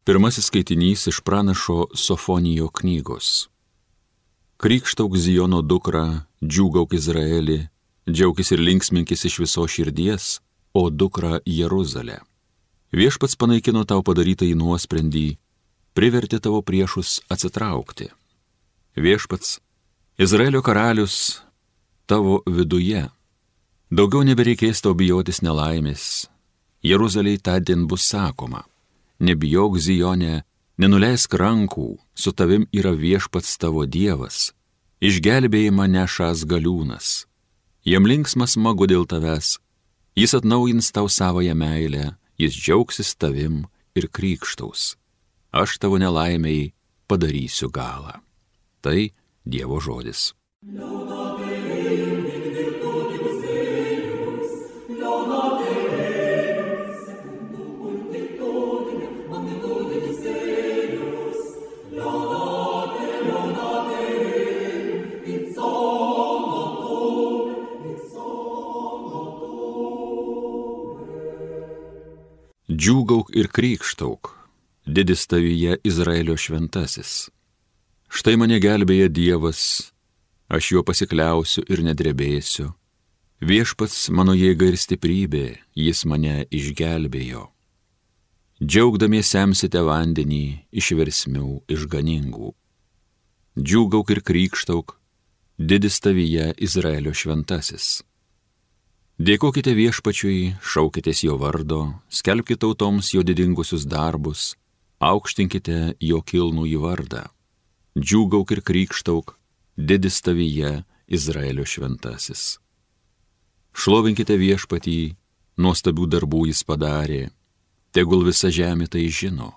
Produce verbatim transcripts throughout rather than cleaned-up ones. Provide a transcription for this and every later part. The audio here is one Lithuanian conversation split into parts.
Pirmasis skaitinys iš pranašo Sofonijo knygos. Krykštauk Zijono dukra, džiūgauk Izraelį, džiaukis ir linksminkis iš viso širdies, o dukra Jeruzalė. Viešpats panaikino tau padarytą į nuosprendį, privertė tavo priešus atsitraukti. Viešpats, Izraelio karalius, tavo viduje. Daugiau nebereikės tau bijotis nelaimės. Jeruzalei tądien bus sakoma: nebijok Zijone, nenuleisk rankų, su tavim yra viešpats tavo Dievas, išgelbėjimą nešąs galiūnas. Jam linksmas smagu dėl tavęs, jis atnaujins tau savąją meilę, jis džiaugsis tavim ir krykštaus. Aš tavo nelaimei padarysiu galą. Tai Dievo žodis. Džiūgauk ir krykštauk, didis tavyje Izraelio šventasis. Štai mane gelbėja Dievas, aš juo pasikliausiu ir nedrebėsiu. Viešpats mano jėga ir stiprybė, jis mane išgelbėjo. Džiaugdamiesi semsite vandenį iš versmių išganingų. Džiūgauk ir krykštauk, didis tavyje Izraelio šventasis. Dėkokite viešpačiui, šaukitės jo vardo, skelbkite tautoms jo didingusius darbus, aukštinkite jo kilnųjį vardą. Džiūgauk ir krykštauk, didis tavyje Izraelio šventasis. Šlovinkite viešpatį, nuostabių darbų jis padarė, tegul visa žemė tai žino.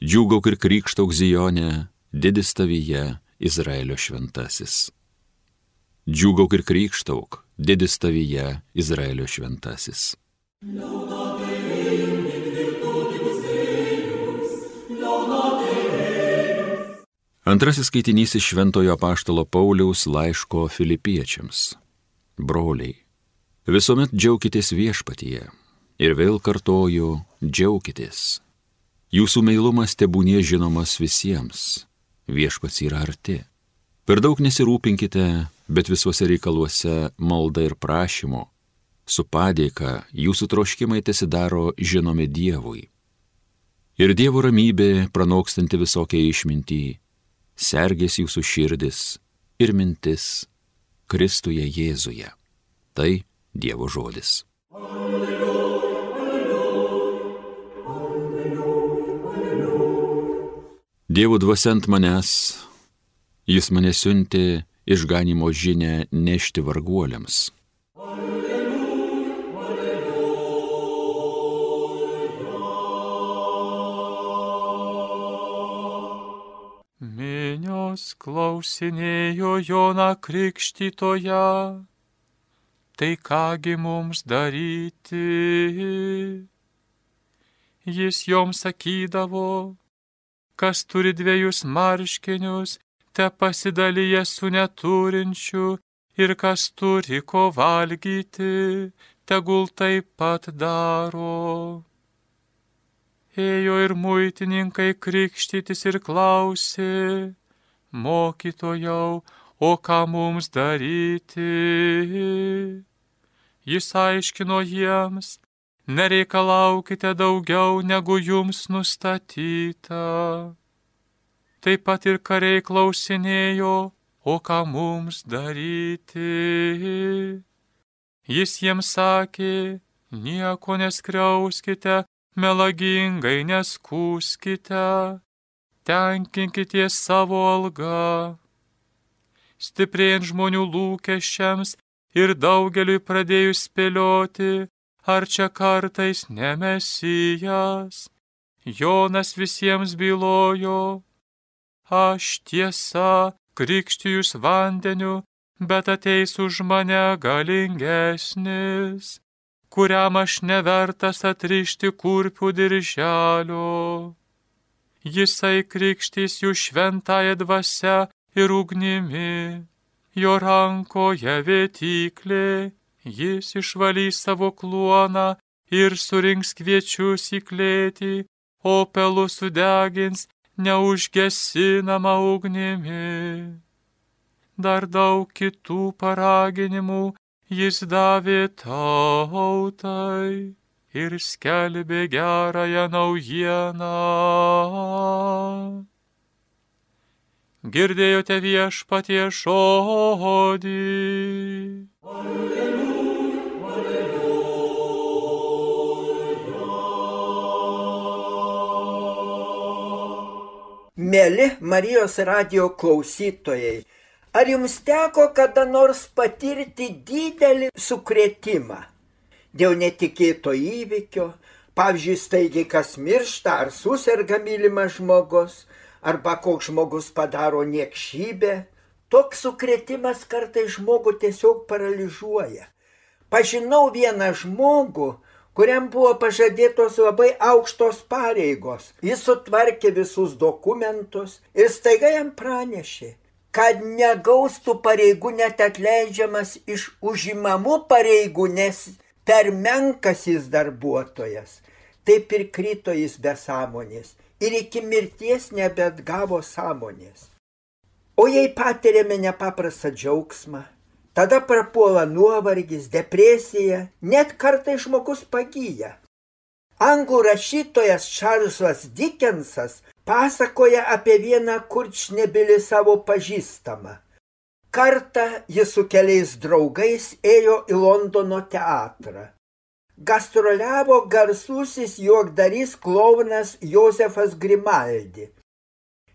Džiūgauk ir krykštauk Zijone, didis tavyje Izraelio šventasis. Džiūgauk ir krykštauk, didis tavyje Izraelio šventasis. Antrasis skaitinys iš Šventojo apaštalo Pauliaus laiško Filipiečiams. Broliai, visuomet džiaukitės viešpatyje, ir vėl kartoju, džiaukitės. Jūsų meilumas tebūnie žinomas visiems, viešpats yra arti. Per daug nesirūpinkite, bet visuose reikaluose malda ir prašymu, su padėka jūsų troškimai tesidaro žinomi Dievui. Ir Dievo ramybė, pranokstanti visokią išmintį, sergės jūsų širdis ir mintis Kristuje Jėzuje. Tai Dievo žodis. Dievo dvasia ant manęs, jis mane siuntė išganimo žinią nešti varguoliams. Minios klausinėjo Joną Krikštytoją, tai kągi mums daryti? Jis joms sakydavo, kas turi dviejus marškinius, te pasidalyja su neturinčiu, ir kas turi ko valgyti, tegul taip pat daro. Ėjo ir muitininkai krikštytis ir klausė, mokytojau, o ką mums daryti? Jis aiškino jiems, nereikalaukite daugiau negu jums nustatyta. Taip pat ir kariai klausinėjo, o ką mums daryti? Jis jiems sakė, nieko neskriauskite, melagingai neskųskite, tenkinkite savo algą. Stiprėjant žmonių lūkesčiams ir daugeliui pradėjus spėlioti, ar čia kartais ne Mesijas, Jonas visiems bylojo, aš tiesa krikštijus vandeniu, bet ateis už mane galingesnis, kuriam aš nevertas atrišti kurpių dirželio. Jisai krikštys jų šventąją dvasią ir ugnimi, jo rankoje vėtyklė, jis išvalys savo kluoną ir surinks kviečius į klėtį, o pelus sudegins neužgesinama ugnimi. Dar daug kitų paraginimų jis davė tautai ir skelbė gerąją naujieną. Girdėjote viešpaties žodį. Mieli Marijos radijo klausytojai, ar jums teko kada nors patirti didelį sukrėtimą dėl netikėto įvykio, pavyzdžiui, staigiai kas miršta ar suserga mylimas žmogus, arba koks žmogus padaro niekšybę? Toks sukrėtimas kartais žmogų tiesiog paralyžiuoja. Pažinau vieną žmogų, kuriam buvo pažadėtos labai aukštos pareigos. Jis sutvarkė visus dokumentus ir staiga jam pranešė, kad negaus tų pareigų net atleidžiamas iš užimamų pareigų, nes per menkas jis darbuotojas. Taip ir krito jis be sąmonės ir iki mirties nebeatgavo sąmonės. O jei patiriame nepaprastą džiaugsmą, tada prapuola nuovargis, depresija, net kartais žmogus pagyja. Anglų rašytojas Čarlzas Dikensas pasakoja apie vieną kurčnebylį savo pažįstamą. Kartą jis su keliais draugais ėjo į Londono teatrą. Gastroliavo garsusis juokdarys klounas Josefas Grimaldi.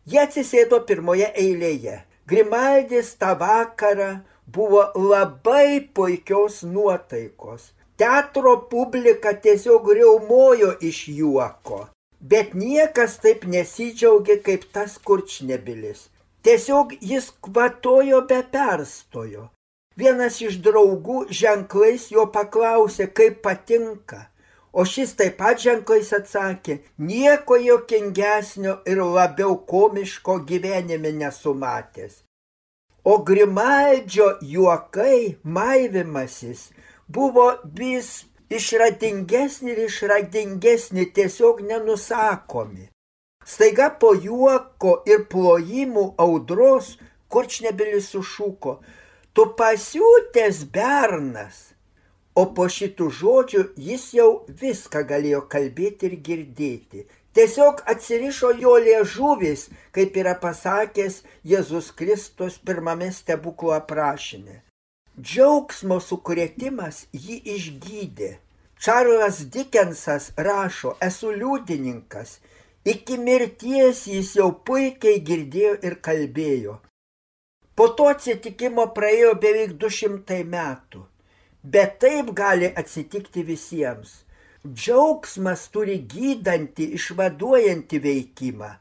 Jie atsisėdo pirmoje eilėje. Grimaldis tą vakarą buvo labai puikios nuotaikos. Teatro publika tiesiog riaumojo iš juoko. Bet niekas taip nesidžiaugė kaip tas kurčnebylis. Tiesiog jis kvatojo be perstojo. Vienas iš draugų ženklais jo paklausė, kaip patinka. O šis taip pat ženklais atsakė, nieko juokingesnio ir labiau komiško gyvenime nesumatęs. O Grimaldžio juokai, maivimasis, buvo vis išradingesni ir išradingesni, tiesiog nenusakomi. Staiga po juoko ir plojimų audros kurčnebylis sušuko, tu pasiutęs bernas. O po šitų žodžių jis jau viską galėjo kalbėti ir girdėti. Tiesiog atsirišo jo liežuvis, kaip yra pasakęs Jėzus Kristus pirmame stebuklo aprašyme. Džiaugsmo sukrėtimas jį išgydė. Čarlzas Dikensas rašo, esu liudininkas. Iki mirties jis jau puikiai girdėjo ir kalbėjo. Po to atsitikimo praėjo beveik du šimtai metų. Bet taip gali atsitikti visiems. Džiaugsmas turi gydantį, išvaduojantį veikimą.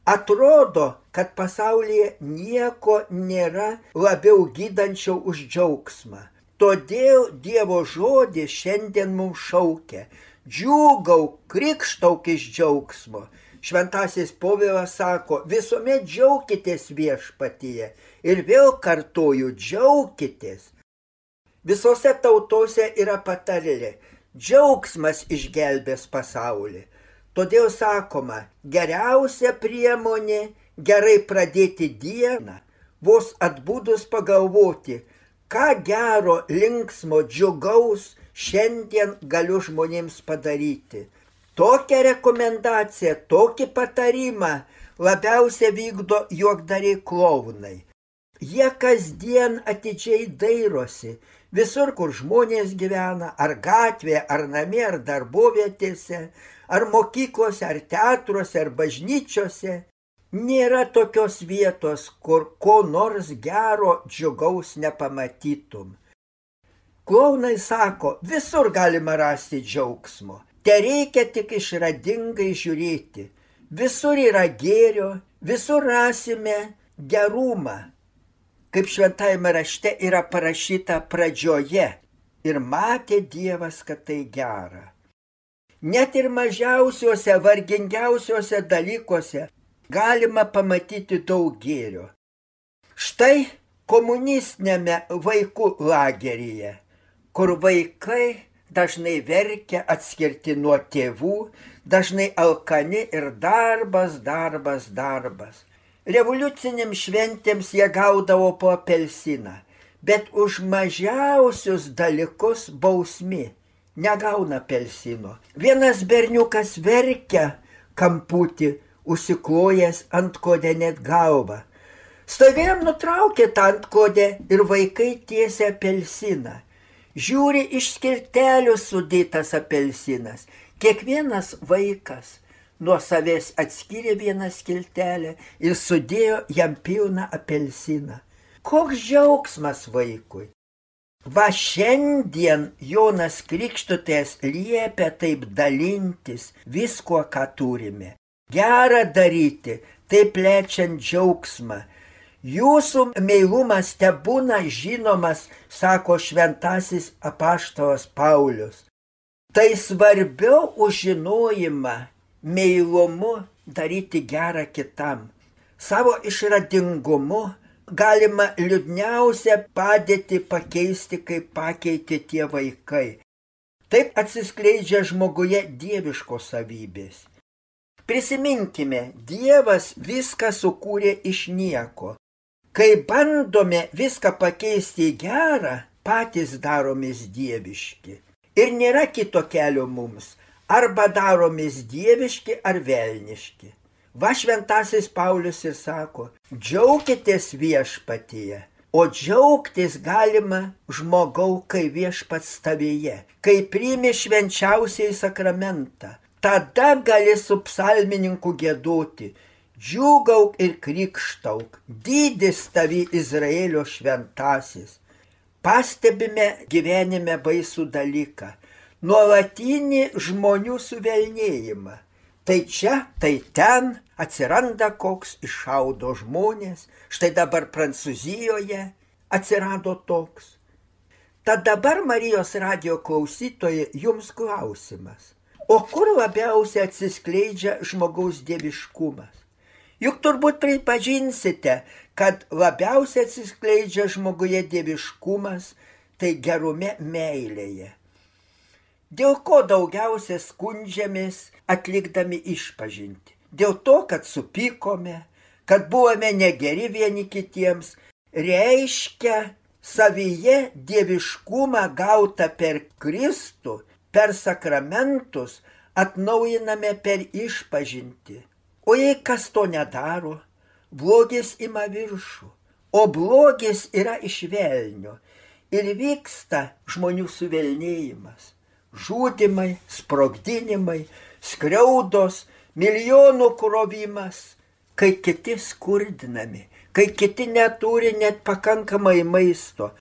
Atrodo, kad pasaulyje nieko nėra labiau gydančio už džiaugsmą. Todėl Dievo žodis šiandien mums šaukia. Džiūgauk, krikštauk iš džiaugsmo. Šventasis Povilas sako, visuomet džiaukitės viešpatyje. Ir vėl kartoju, džiaukitės. Visose tautose yra patarlė, džiaugsmas išgelbės pasaulį. Todėl sakoma, geriausia priemonė gerai pradėti dieną, vos atbudus pagalvoti, ką gero, linksmo, džiugaus šiandien galiu žmonėms padaryti. Tokią rekomendaciją, tokį patarimą labiausiai vykdo juokdariai klounai. Jie kasdien atidžiai dairosi, visur, kur žmonės gyvena, ar gatvėje, ar namie, ar darbovietėse, ar mokyklose, ar teatruose, ar bažnyčiose. Nėra tokios vietos, kur ko nors gero, džiugaus nepamatytum. Klounai sako, visur galima rasti džiaugsmo. Tereikia tik išradingai žiūrėti. Visur yra gėrio, visur rasime gerumą. Kaip šventajame rašte yra parašyta pradžioje, ir matė Dievas, kad tai gera. Net ir mažiausiuose, vargingiausiuose dalykuose galima pamatyti daug gėrio. Štai komunistinėme vaikų lageryje, kur vaikai dažnai verkia atskirti nuo tėvų, dažnai alkani ir darbas, darbas, darbas. Revoliucinėm šventėms jie gaudavo po apelsiną, bet už mažiausius dalykus bausmi negauna apelsino. Vienas berniukas verkia kamputį, užsiklojęs antkodę net galvą. Staiga jam nutraukė tą antkodę ir vaikai tiesia apelsiną. Žiūri, iš skiltelių sudėtas apelsinas. Kiekvienas vaikas nuo savęs atskyrė vieną skiltelę ir sudėjo jam pilną apelsiną. Koks džiaugsmas vaikui! Va šiandien Jonas Krikštytojas liepia taip dalintis viskuo, ką turime. Gera daryti, taip plečiant džiaugsmą. Jūsų meilumas tebūna žinomas, sako šventasis apaštalas Paulius. Tai svarbiau už žinojimą, meilumu daryti gerą kitam. Savo išradingumu galima liūdniausią padėtį pakeisti, kaip pakeitė tie vaikai. Taip atsiskleidžia žmoguje dieviškos savybės. Prisiminkime, Dievas viską sukūrė iš nieko. Kai bandome viską pakeisti į gerą, patys daromės dieviški. Ir nėra kito kelio mums. Arba daromės dieviški ar velniški. Va šventasis Paulius ir sako, džiaukitės viešpatyje, o džiaugtis galima žmogau, kai viešpats tavyje, kai priimi švenčiausiai sakramentą. Tada gali su psalmininku giedoti, džiūgauk ir krikštauk, didis tavi Izraelio šventasis. Pastebime gyvenime baisų dalyką, nuolatinį žmonių suvelnėjimą. Tai čia, tai ten atsiranda koks, iššaudo žmonės, štai dabar Prancūzijoje atsirado toks. Tad dabar Marijos radijo klausytojai jums klausimas, o kur labiausiai atsiskleidžia žmogaus dieviškumas? Juk turbūt pripažinsite, kad labiausiai atsiskleidžia žmoguje dieviškumas, tai gerume meilėje. Dėl ko daugiausia skundžiamės atlikdami išpažintį? Dėl to, kad supykome, kad buvome negeri vieni kitiems, reiškia savyje dieviškumą gautą per Kristų, per sakramentus, atnaujiname per išpažintį. O jei kas to nedaro, blogis ima viršų, o blogis yra iš velnio ir vyksta žmonių suvelnėjimas. Žudimai, sprogdinimai, skriaudos, milijonų krovimas, kai kiti skurdinami, kai kiti neturi net pakankamai maisto.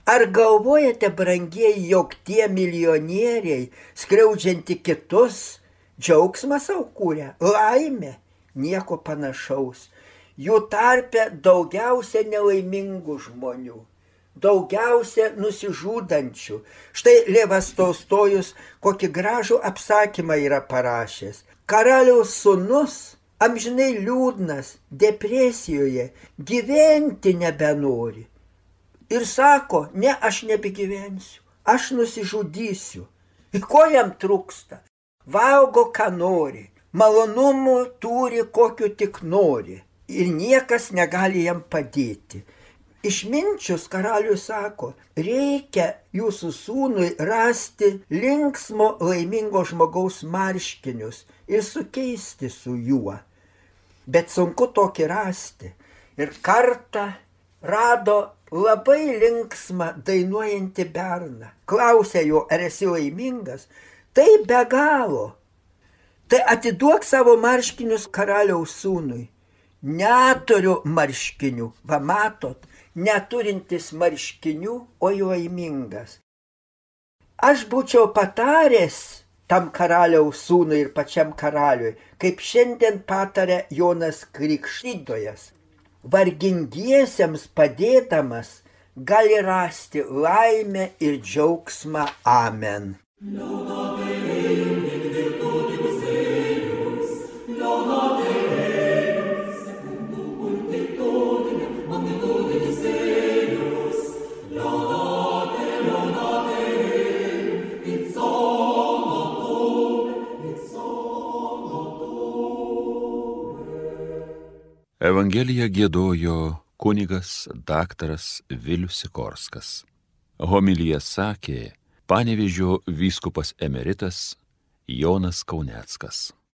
Ar galvojate, brangieji, jog tie milijonieriai, skriaudžianti kitus, džiaugsmą sau kūrė, laimė, nieko panašaus. Jų tarpe daugiausia nelaimingų žmonių. Daugiausia nusižudančių. Štai Levas Tolstojus kokį gražų apsakymą yra parašęs. Karaliaus sūnus, amžinai liūdnas, depresijoje, gyventi nebenori. Ir sako, ne, aš nebegyvensiu, aš nusižudysiu. Ir ko jam trūksta? Valgo, ką nori, malonumų turi, kokiu tik nori. Ir niekas negali jam padėti. Išminčius karalius sako, reikia jūsų sūnui rasti linksmo, laimingo žmogaus marškinius ir sukeisti su juo. Bet sunku tokį rasti. Ir kartą rado labai linksmą dainuojantį berną. Klausė jo, ar esi laimingas? Tai be galo. Tai atiduok savo marškinius karaliaus sūnui. Neturiu marškinių, va matot, neturintis marškinių, o laimingas. Aš būčiau pataręs tam karaliaus sūnui ir pačiam karaliui, kaip šiandien patarė Jonas Krikštytojas. Vargingiesiems padėdamas gali rasti laimę ir džiaugsmą. Amen. It's Evangeliją giedojo kunigas daktaras Vilius Sikorskas. Homiliją sakė Panevėžio vyskupas emeritas Jonas Kauneckas.